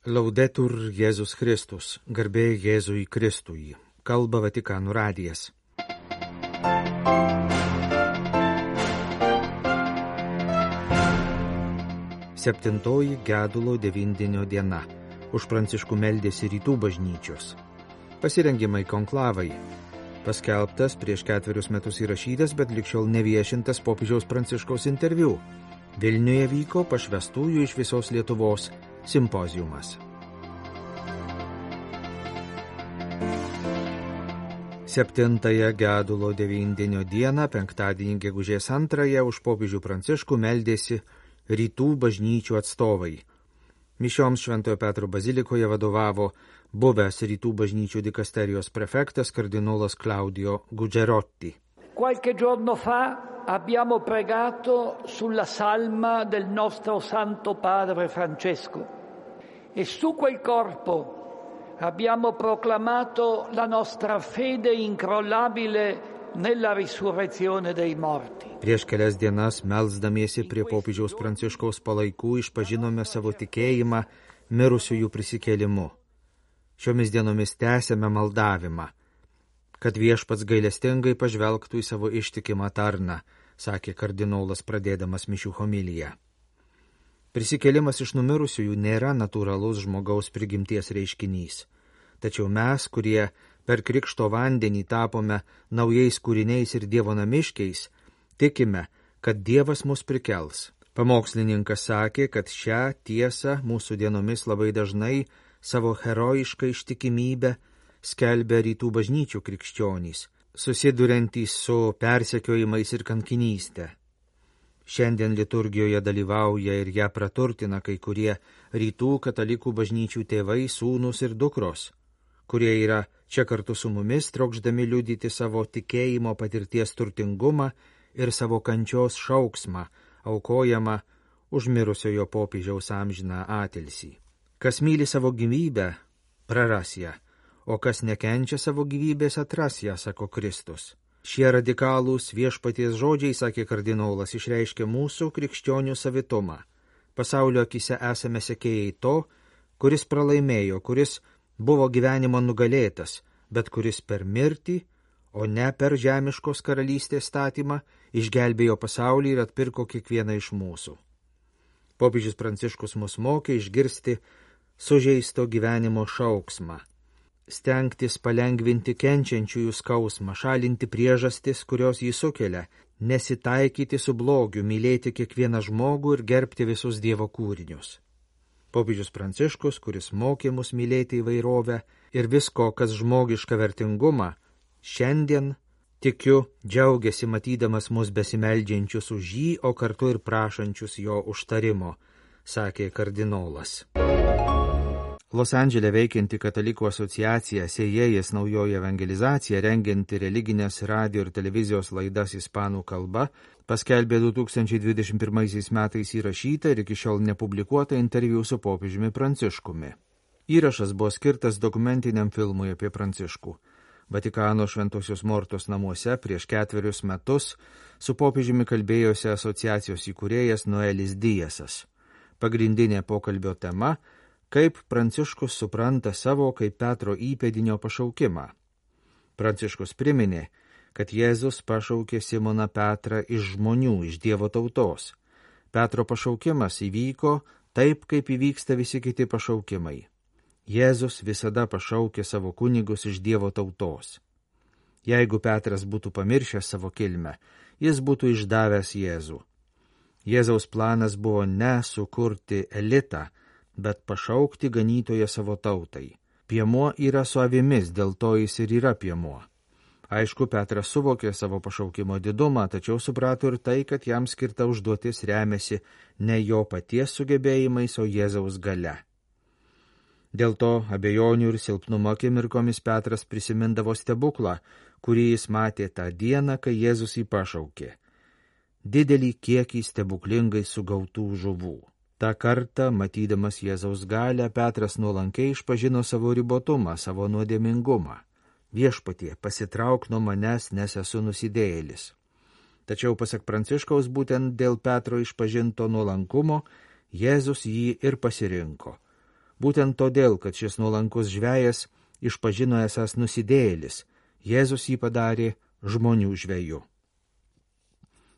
Laudetur Jėzus Kristus, garbė Jėzui Kristui, kalba Vatikano radijas. Septintoji gedulo devindienio diena. Už Pranciškų meldėsi rytų bažnyčios. Pasirengimai konklavai. Paskelbtas prieš 4 metus įrašytas, bet ligšiol neviešintas popiežiaus Pranciškaus interviu. Vilniuje vyko pašvestųjų iš visos Lietuvos simpoziumas. Septintąją gedulo devindienio dieną, penktadienį gegužės 2, už popiežių Pranciškų meldėsi rytų bažnyčių atstovai. Mišioms Šventojo Petro bazilikoje vadovavo buvęs rytų bažnyčių dikasterijos prefektas kardinolas Claudio Gugerotti. Qualche giorno fa abbiamo pregato sulla salma del nostro Santo Padre Francesco e su quel corpo abbiamo proclamato la nostra fede incrollabile nella risurrezione dei morti. Prieš kelias dienas, melsdamiesi prie popiežiaus Pranciškaus palaikų, išpažinome savo tikėjimą mirusiųjų prisikėlimu. Šiomis dienomis tęsėme maldavimą, kad viešpats gailestingai pažvelgtų į savo ištikimą tarną, sakė kardinolas pradėdamas mišių homiliją. Prisikėlimas iš numirusiųjų nėra natūralus žmogaus prigimties reiškinys. Tačiau mes, kurie per krikšto vandenį tapome naujais kūriniais ir Dievo namiškiais, tikime, kad Dievas mus prikels. Pamokslininkas sakė, kad šią tiesą mūsų dienomis labai dažnai savo herojišką ištikimybę skelbia rytų bažnyčių krikščionys, susiduriantys su persekiojimais ir kankinystė. Šiandien liturgijoje dalyvauja ir ją praturtina kai kurie rytų katalikų bažnyčių tėvai, sūnus ir dukros, kurie yra čia kartu su mumis, trokšdami liudyti savo tikėjimo patirties turtingumą ir savo kančios šauksmą, aukojamą už mirusiojo popiežiaus amžiną atilsį. Kas myli savo gyvybę, praras ją, o kas nekenčia savo gyvybės, atras ją, sako Kristus. Šie radikalūs viešpaties žodžiai, sakė kardinolas, išreiškia mūsų krikščionių savitumą. Pasaulio akise esame sekėjai to, kuris pralaimėjo, kuris buvo gyvenimo nugalėtas, bet kuris per mirtį, o ne per žemiškos karalystės statymą, išgelbėjo pasaulį ir atpirko kiekvieną iš mūsų. Popiežius Pranciškus mus mokė išgirsti sužeisto gyvenimo šauksmą, stengtis palengvinti kenčiančiųjų skausmą, šalinti priežastis, kurios jį sukelia, nesitaikyti su blogiu, mylėti kiekvieną žmogų ir gerbti visus Dievo kūrinius. Popiežius Pranciškus, kuris mokė mus mylėti įvairovę ir visko, kas žmogiška vertingumą, šiandien, tikiu, džiaugiasi matydamas mus besimeldžiančius už jį, o kartu ir prašančius jo užtarimo, sakė kardinolas. Los Andžele veikianti katalikų asociacija Sėjėjas naujoji evangelizacija, rengianti religinės radio ir televizijos laidas ispanų kalba, paskelbė 2021 metais įrašytą ir iki šiol nepublikuotą interviu su popiežiumi Pranciškumi. Įrašas buvo skirtas dokumentiniam filmui apie Pranciškų. Vatikano Šventosios Mortos namuose prieš 4 metus su popiežiumi kalbėjosi asociacijos įkūrėjas Noelis Dijasas. Pagrindinė pokalbio tema – kaip Pranciškus supranta savo kaip Petro įpėdinio pašaukimą. Pranciškus priminė, kad Jėzus pašaukė Simoną Petrą iš žmonių, iš Dievo tautos. Petro pašaukimas įvyko taip, kaip įvyksta visi kiti pašaukimai. Jėzus visada pašaukė savo kunigus iš Dievo tautos. Jeigu Petras būtų pamiršęs savo kilmę, jis būtų išdavęs Jėzų. Jėzaus planas buvo ne sukurti elitą, bet pašaukti ganytoją savo tautai. Piemuo yra su avimis, dėl to jis ir yra piemuo. Aišku, Petras suvokė savo pašaukimo didumą, tačiau suprato ir tai, kad jam skirta užduotis remiasi ne jo paties sugebėjimais, o Jėzaus galia. Dėl to abejonių ir silpnumo akimirkomis Petras prisimindavo stebuklą, kurį jis matė tą dieną, kai Jėzus jį pašaukė. Didelį kiekį stebuklingai sugautų žuvų. Ta kartą, matydamas Jėzaus galią, Petras nuolankiai išpažino savo ribotumą, savo nuodėmingumą. Viešpatie, pasitrauk nuo manęs, nes esu nusidėjėlis. Tačiau, pasak Pranciškaus, būtent dėl Petro išpažinto nuolankumo Jėzus jį ir pasirinko. Būtent todėl, kad šis nuolankus žvejas išpažino esąs nusidėjėlis, Jėzus jį padarė žmonių žveju.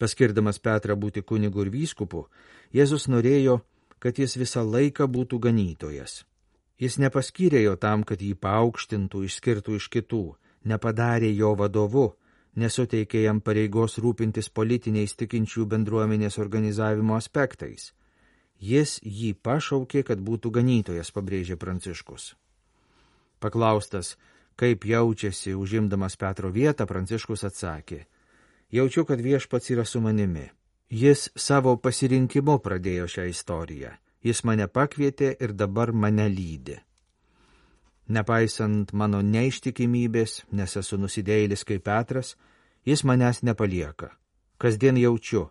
Paskirdamas Petrą būti kunigu ir vyskupu, Jėzus norėjo, kad jis visą laiką būtų ganytojas. Jis nepaskyrė jo tam, kad jį paaukštintų, išskirtų iš kitų, nepadarė jo vadovu, nesuteikė jam pareigos rūpintis politiniais tikinčių bendruomenės organizavimo aspektais. Jis jį pašaukė, kad būtų ganytojas, pabrėžė Pranciškus. Paklaustas, kaip jaučiasi užimdamas Petro vietą, Pranciškus atsakė, jaučiu, kad Viešpats yra su manimi. Jis savo pasirinkimu pradėjo šią istoriją. Jis mane pakvietė ir dabar mane lydi. Nepaisant mano neištikimybės, nes esu nusidėjėlis kaip Petras, jis manęs nepalieka. Kasdien jaučiu,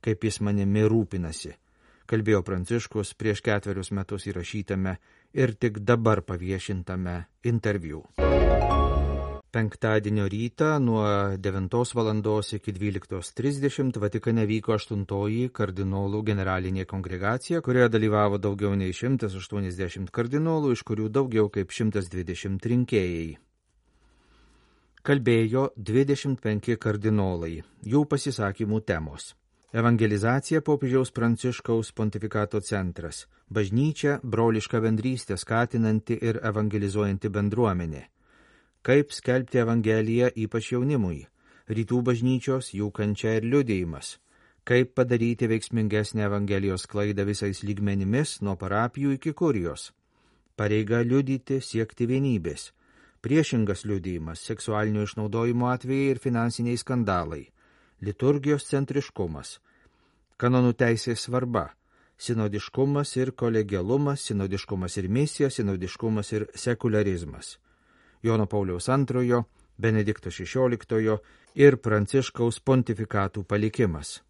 kaip jis manimi rūpinasi, kalbėjo Pranciškus prieš 4 metus įrašytame ir tik dabar paviešintame interviu. Penktadienio rytą nuo 9 valandos iki 12:30 Vatikane vyko 8 kardinolų generalinė kongregacija, kurioje dalyvavo daugiau nei 180 kardinolų, iš kurių daugiau kaip 120 rinkėjai. Kalbėjo 25 kardinolai, jų pasisakymų temos. Evangelizacija popiežiaus Pranciškaus pontifikato centras, bažnyčia broliška bendrystė skatinanti ir evangelizuojanti bendruomenė. Kaip skelbti Evangeliją ypač jaunimui, rytų bažnyčios, jų kančia ir liudijimas, kaip padaryti veiksmingesnę Evangelijos sklaidą visais lygmenimis nuo parapijų iki kurijos, pareiga liudyti, siekti vienybės, priešingas liudijimas, seksualinio išnaudojimo atvejai ir finansiniai skandalai, liturgijos centriškumas, kanonų teisės svarba, sinodiškumas ir kolegialumas, sinodiškumas ir misija, sinodiškumas ir sekularizmas. Jono Pauliaus II, Benedikto XVI ir Pranciškaus pontifikatų palikimas.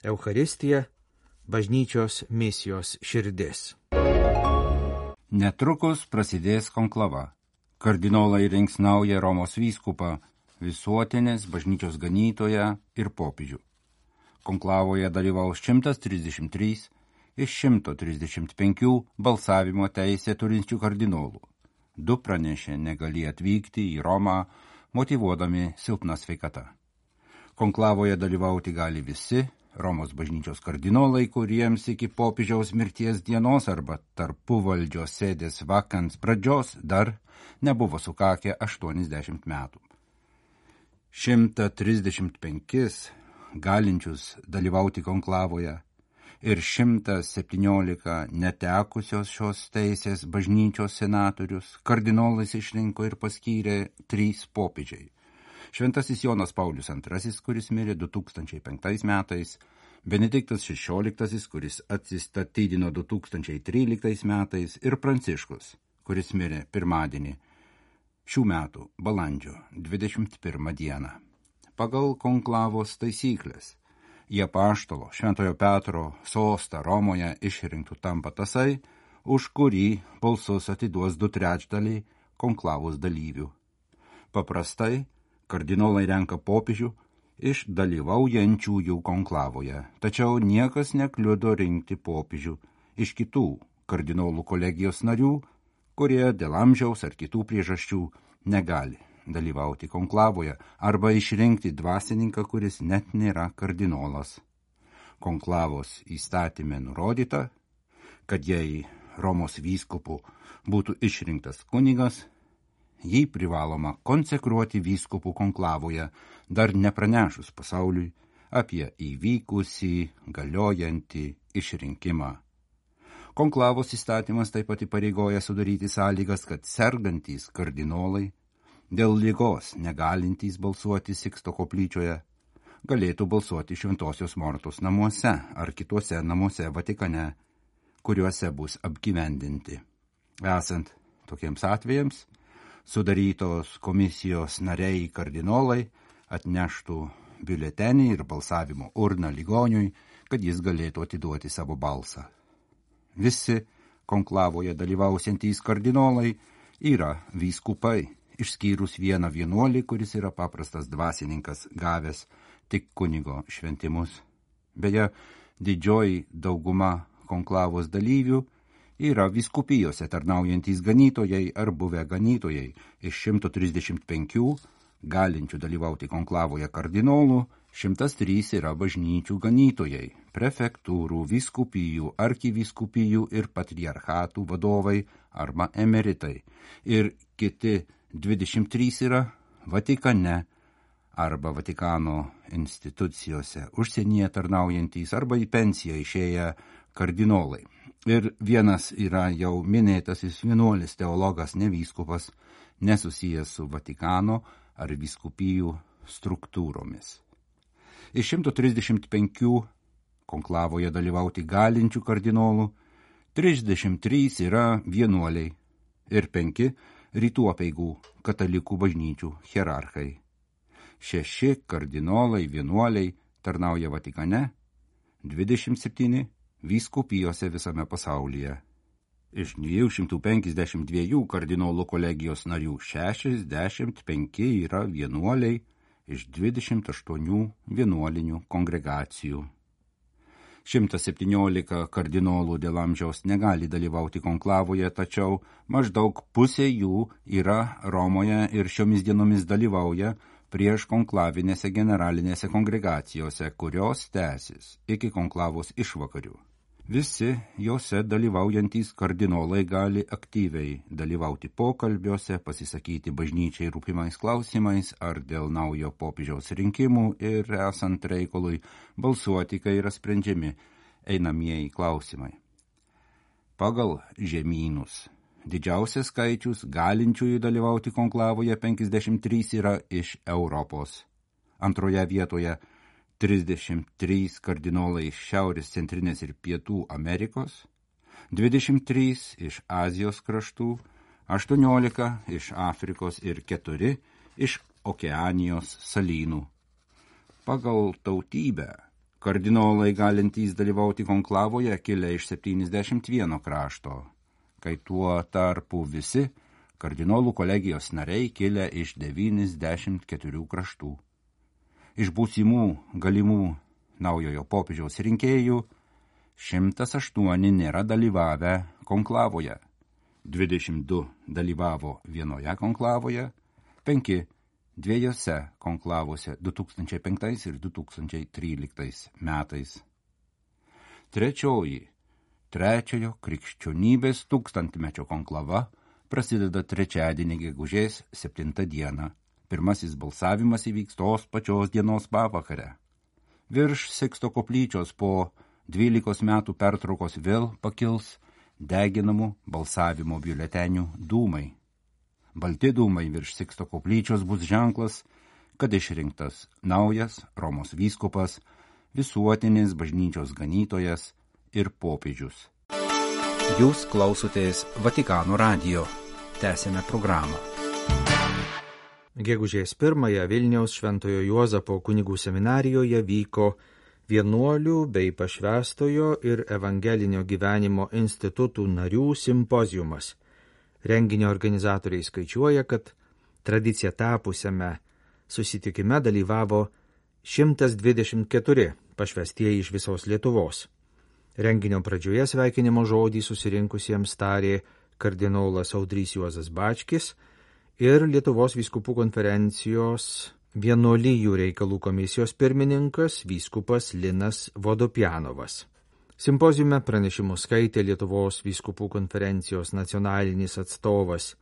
Eucharistija – bažnyčios misijos širdis. Netrukus prasidės konklava. Kardinolai rinks naują Romos vyskupą, visuotinės bažnyčios ganytoją ir popiežių. Konklavoje dalyvaus 133 iš 135 balsavimo teisę turinčių kardinolų. 2 pranešė negalį atvykti į Romą, motyvuodami silpną sveikatą. Konklavoje dalyvauti gali visi Romos bažnyčios kardinolai, kuriems iki popiežiaus mirties dienos arba tarpuvaldžios sėdės vakans pradžios dar nebuvo sukakę 80 metų. 135 galinčius dalyvauti konklavoje ir 117 netekusios šios teisės bažnyčios senatorius kardinolais išrinko ir paskyrė 3 popiežiai. Šventasis Jonas Paulius II, kuris mirė 2005 metais, Benediktas XVI, kuris atsistatydino 2013 metais ir Pranciškus, kuris mirė pirmadienį šių metų balandžio 21 dieną. Pagal konklavos taisyklės, į apaštalo Šventojo Petro sostą Romoje išrinktų tampa tasai, už kurį balsus atiduos 2/3 konklavos dalyvių. Paprastai kardinolai renka popiežių iš dalyvaujančiųjų konklavoje, tačiau niekas nekliudo rinkti popiežių iš kitų kardinolų kolegijos narių, kurie dėl amžiaus ar kitų priežasčių negali dalyvauti konklavoje arba išrinkti dvasininką, kuris net nėra kardinolas. Konklavos įstatyme nurodyta, kad jei Romos vyskupu būtų išrinktas kunigas, jį privaloma konsekruoti vyskupų konklavoje, dar nepranešus pasauliui apie įvykusį galiojantį išrinkimą. Konklavos įstatymas taip pat įpareigoja sudaryti sąlygas, kad sergantys kardinolai, dėl ligos negalintys balsuoti Siksto koplyčioje, galėtų balsuoti Šventosios Mortos namuose ar kituose namuose Vatikane, kuriuose bus apgyvendinti. Esant tokiems atvejams, sudarytos komisijos nariai kardinolai atneštų biuletenį ir balsavimo urną ligoniui, kad jis galėtų atiduoti savo balsą. Visi konklavoje dalyvausiantys kardinolai yra vyskupai, išskyrus vieną vienuolį, kuris yra paprastas dvasininkas, gavęs tik kunigo šventimus. Beje, didžioji dauguma konklavos dalyvių yra vyskupijose tarnaujantys ganytojai ar buvę ganytojai. Iš 135 galinčių dalyvauti konklavoje kardinolų 103 yra bažnyčių ganytojai, prefektūrų, vyskupijų, arkivyskupijų ir patriarchatų vadovai arba emeritai. Ir kiti 23 yra Vatikane arba Vatikano institucijose užsienyje tarnaujantys arba į pensiją išėję kardinolai. Ir vienas yra jau minėtasis vienuolis teologas, ne vyskupas, nesusijęs su Vatikano ar vyskupijų struktūromis. Iš 135 konklavoje dalyvauti galinčių kardinolų 33 yra vienuoliai ir 5 rytų apeigų katalikų bažnyčių hierarchai. 6 kardinolai vienuoliai tarnauja Vatikane, 27 vyskupijose visame pasaulyje. Iš 252 kardinolų kolegijos narių 65 yra vienuoliai iš 28 vienuolinių kongregacijų. 117 kardinolų dėl amžiaus negali dalyvauti konklavoje, tačiau maždaug pusė jų yra Romoje ir šiomis dienomis dalyvauja prieš konklavinėse generalinėse kongregacijose, kurios tęsis iki konklavos išvakarių. Visi jose dalyvaujantys kardinolai gali aktyviai dalyvauti pokalbiuose, pasisakyti bažnyčiai rūpimais klausimais ar dėl naujo popiežiaus rinkimų ir esant reikalui balsuoti, kai yra sprendžiami einamieji klausimai. Pagal žemynus didžiausias skaičius galinčiųjų dalyvauti konklavoje 53 yra iš Europos. Antroje vietoje 33 kardinolai iš Šiaurės, Centrinės ir Pietų Amerikos, 23 iš Azijos kraštų, 18 iš Afrikos ir 4 iš Okeanijos salynų. Pagal tautybę kardinolai galintys dalyvauti konklavoje kilę iš 71 krašto, kai tuo tarpu visi kardinolų kolegijos nariai kilę iš 94 kraštų. Iš būsimų galimų naujojo popiežiaus rinkėjų 108 nėra dalyvavę konklavoje, 22 dalyvavo vienoje konklavoje, 5 dviejose konklavose 2005 ir 2013 metais. Trečiojo krikščionybės tūkstantmečio konklava prasideda trečiadienį gegužės 7 dieną. Pirmasis balsavimas įvyks tos pačios dienos pavakare. Virš Siksto koplyčios po 12 metų pertraukos vėl pakils deginamų balsavimo biuletenių dūmai. Balti dūmai virš Siksto koplyčios bus ženklas, kad išrinktas naujas Romos vyskupas, visuotinis bažnyčios ganytojas ir popiežius. Jūs klausotės Vatikano radijo. Tęsėme programą. Gegužės 1 Vilniaus Šventojo Juozapo kunigų seminarijoje vyko vienuolių bei pašvęstojo ir evangelinio gyvenimo institutų narių simpoziumas. Renginio organizatoriai skaičiuoja, kad tradicija tapusiame susitikime dalyvavo 124 pašvęstieji iš visos Lietuvos. Renginio pradžioje sveikinimo žodį susirinkusiems tarė kardinolas Audrys Juozas Bačkis ir Lietuvos vyskupų konferencijos vienuolijų reikalų komisijos pirmininkas vyskupas Linas Vodopjanovas. Simpoziume pranešimus skaitė Lietuvos vyskupų konferencijos nacionalinis atstovas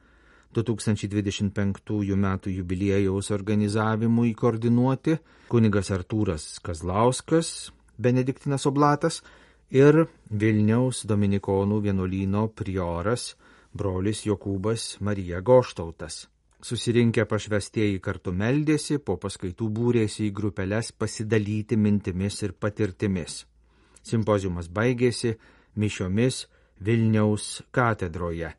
2025 metų jubiliejaus organizavimui koordinuoti kunigas Artūras Kazlauskas, Benediktinas Oblatas ir Vilniaus Dominikonų vienuolyno prioras brolis Jokūbas Marija Goštautas. Susirinkę pašvęstieji kartu meldėsi, po paskaitų būrėsi į grupeles pasidalyti mintimis ir patirtimis. Simpoziumas baigėsi mišiomis Vilniaus katedroje.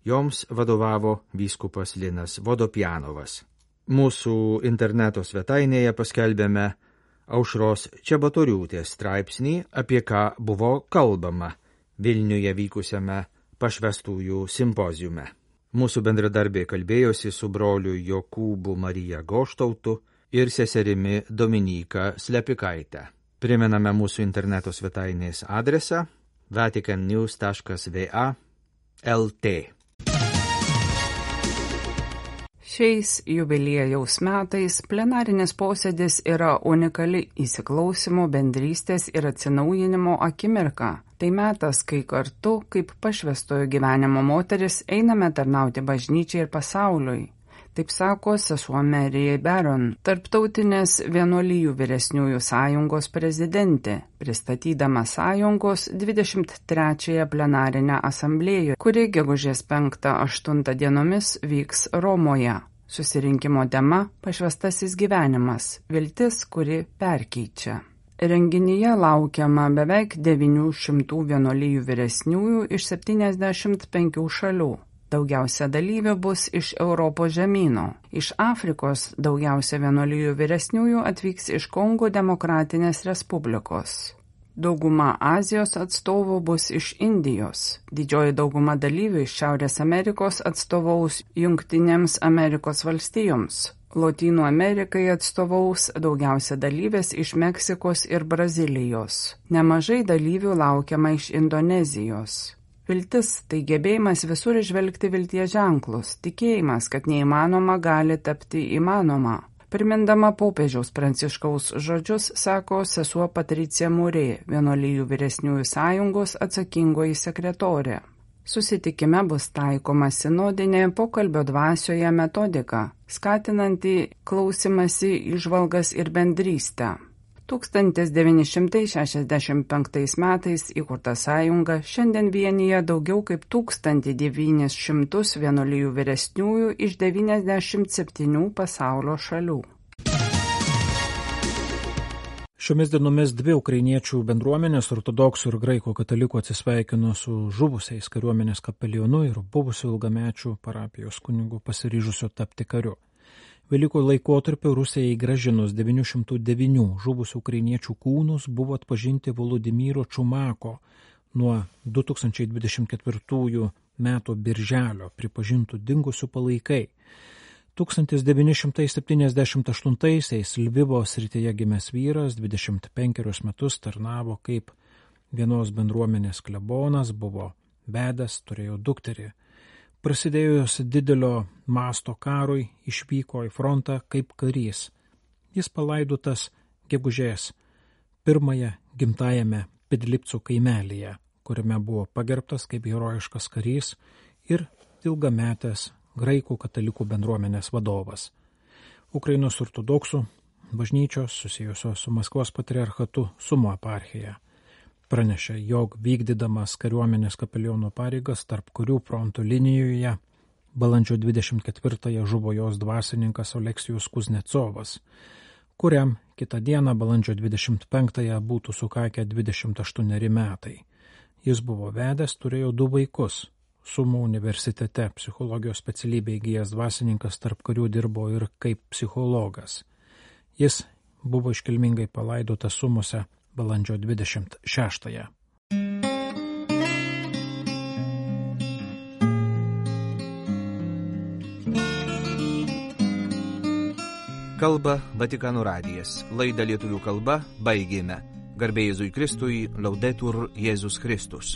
Joms vadovavo vyskupas Linas Vodopjanovas. Mūsų interneto svetainėje paskelbėme Aušros Čebatoriūtės straipsnį, apie ką buvo kalbama Vilniuje vykusiame pašvęstųjų simpoziume. Mūsų bendradarbiai kalbėjosi su broliu Jokūbu Marija Goštautu ir seserimi Dominyka Slepikaite. Primename mūsų interneto svetainės adresą vaticannews.va/lt. Šiais jubiliejaus metais plenarinis posėdis yra unikali įsiklausimo, bendrystės ir atsinaujinimo akimirka. Tai metas, kai kartu, kaip pašvęstojo gyvenimo moteris, einame tarnauti bažnyčiai ir pasauliui. Taip sako sesuo Mary Baron, Tarptautinės vienuolijų vyresniųjų sąjungos prezidentė, pristatydama sąjungos 23-ąją plenarinę asamblėją, kuri gegužės 5-8 dienomis vyks Romoje. Susirinkimo tema – pašvęstasis gyvenimas, viltis, kuri perkeičia. Renginyje laukiama beveik 900 vienuolijų vyresniųjų iš 75 šalių. Daugiausia dalyvių bus iš Europos žemyno. Iš Afrikos daugiausia vienuolijų vyresniųjų atvyks iš Kongo Demokratinės Respublikos. Dauguma Azijos atstovų bus iš Indijos. Didžioji dauguma dalyvių iš Šiaurės Amerikos atstovaus Jungtinėms Amerikos valstijoms. Lotynų Amerikai atstovaus daugiausia dalyvės iš Meksikos ir Brazilijos. Nemažai dalyvių laukiama iš Indonezijos. Viltis – tai gebėjimas visur išvelgti vilties ženklus, tikėjimas, kad neįmanoma gali tapti įmanoma. Primindama popiežiaus Pranciškaus žodžius, sako sesuo Patricija Murė, vienuolijų vyresniųjų sąjungos atsakingoji sekretorė. Susitikime bus taikoma sinodinė pokalbio dvasioje metodika, skatinanti klausimąsi, įžvalgas ir bendrystę. 1965 metais įkurta sąjunga šiandien vienyje daugiau kaip 1900 vienuolijų vyresniųjų iš 97 pasaulio šalių. Šiomis dienomis dvi ukrainiečių bendruomenės, ortodoksų ir graikų katalikų, atsisveikino su žuvusiais kariuomenės kapelionu ir buvusiu ilgamečiu parapijos kunigu pasiryžusiu tapti kariu. Velykų laikotarpiu Rusijai grąžinus 909 žuvusių ukrainiečių kūnus buvo atpažinti Volodymyro Čumako nuo 2024 metų birželio pripažintų dingusių palaikai. 1978-aisiais Lvivo srityje gimęs vyras 25 metus tarnavo kaip vienos bendruomenės klebonas, buvo vedęs, turėjo dukterį. Prasidėjus didelio masto karui išvyko į frontą kaip karys. Jis palaidotas gegužės 1 gimtajame Pidlipcų kaimelyje, kuriame buvo pagerbtas kaip herojiškas karys ir ilgametės graikų katalikų bendruomenės vadovas. Ukrainos ortodoksų bažnyčios susijusios su Maskvos patriarchatu Sumo eparchija pranešė, jog vykdydamas kariuomenės kapeliono pareigas tarp kurių fronto linijoje balandžio 24-ąją žuvo jos dvasininkas Oleksijus Kuznecovas, kuriam kitą dieną balandžio 25-ąją būtų sukakę 28 metai. Jis buvo vedęs, turėjo 2 vaikus. Sumo universitete psichologijos specialybę įgijęs dvasininkas tarp karių dirbo ir kaip psichologas. Jis buvo iškilmingai palaidotas Sumose balandžio 26-ąją. Kalba Vatikano radijas. Laidą lietuvių kalba baigėme. Garbė Jėzui Kristui, Laudetur Jėzus Kristus.